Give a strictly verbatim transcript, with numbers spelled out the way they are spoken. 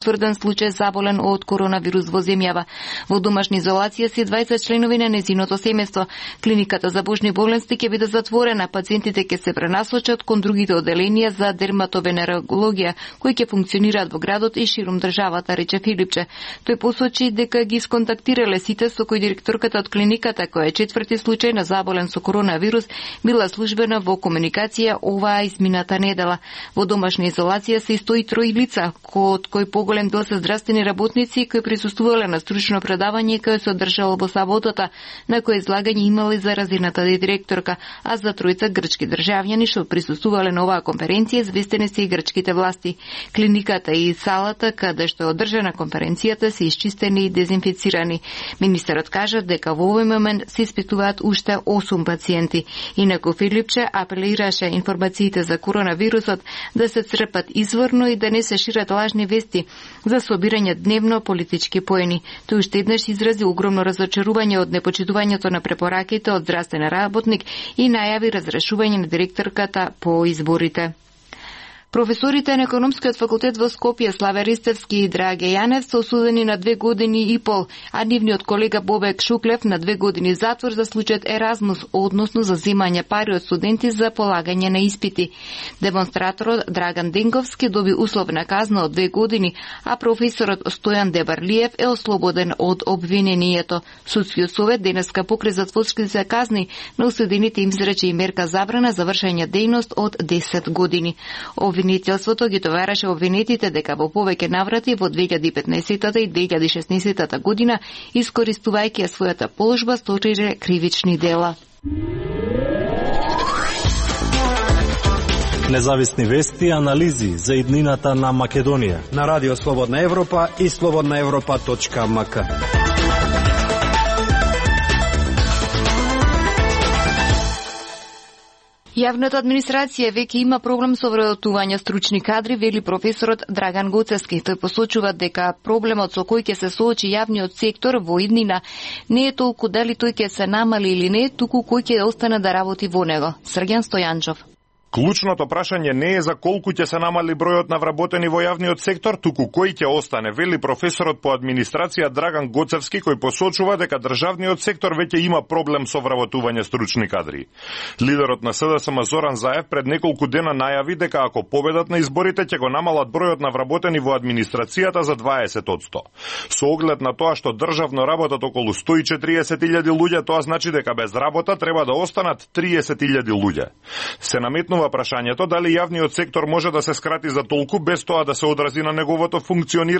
тврден случај заболен од коронавирус во земјава. Во домашна изолација се дваесет членови на незиното семејство. Клиниката за божни болести ќе биде затворена, пациентите ќе се пренасочат кон другите оделенија за дерматовенерологија, кои ќе функционираат во градот и ширум државата, рече Филипче. Тој посочи дека ги сконтактирале сите со кои директорката од клиниката, која е четврти случај на заболен со коронавирус, била службена во комуникација оваа измината недела. Во домашна изолација се и сто и три лица, од кои голем дел се здравствени работници кои присуствувале на стручно предавање кој се одржало во саботата, на кој излагање имала и заразената директорка, а за тројца грчки државјани што присуствувале на оваа конференција известени се и грчките власти. Клиниката и салата каде што е одржана конференцијата се исчистени и дезинфицирани. Министерот кажа дека во овој момент се испитуваат уште осум пациенти. Инаку Филипче апелираше информациите за коронавирусот да се црпат изворно и да не се шират лажни вести за собирање дневно политички поени. Тој уште еднаш изрази огромно разочарување од непочитувањето на препораките од здравствен работник и најави разрешување на директорката по изборите. Професорите на Економскиот факултет во Скопје Славе Ристевски и Драге Јанев се осудени на две години и пол, а нивниот колега Бобек Шуклев на две години затвор за случајот Еразмус, односно за земање пари од студенти за полагање на испити. Демонстраторот Драган Денковски доби условна казна од две години, а професорот Стојан Дебарлиев е ослободен од обвинението. Судскиот совет денеска покрај затворските казни на осудените им изрече и мерка забрана за вршење дејност од десет години. Обвинителството ги товараше обвинетите дека во повеќе наврати во две илјади и петнаесетта и две илјади и шеснаесетта година, искористувајќи својата положба, сториле кривични дела. Независни вести и анализи за иднината на Македонија на Радио Слободна Европа и слободна европа точка ем ка. Јавната администрација веќе има проблем со вработување стручни кадри, вели професорот Драган Гоцевски. Тој посочува дека проблемот со кој ќе се соочи јавниот сектор во иднина не е толку дали тој ќе се намали или не, туку кој ќе остане да работи во него. Срѓан Стојанчов. Клучното прашање не е за колку ќе се намали бројот на вработени во јавниот сектор, туку кој ќе остане, вели професорот по администрација Драган Гоцевски, кој посочува дека државниот сектор веќе има проблем со вработување стручни кадри. Лидерот на С Д С М Зоран Заев пред неколку дена најави дека ако победат на изборите ќе го намалат бројот на вработени во администрацијата за дваесет одсто. Со оглед на тоа што државно работат околу сто и четириесет илјади луѓе, тоа значи дека без работа треба да останат триесет илјади луѓе. Се наметнува прашањето дали јавниот сектор може да се скрати за толку без тоа да се одрази на неговото функционирање.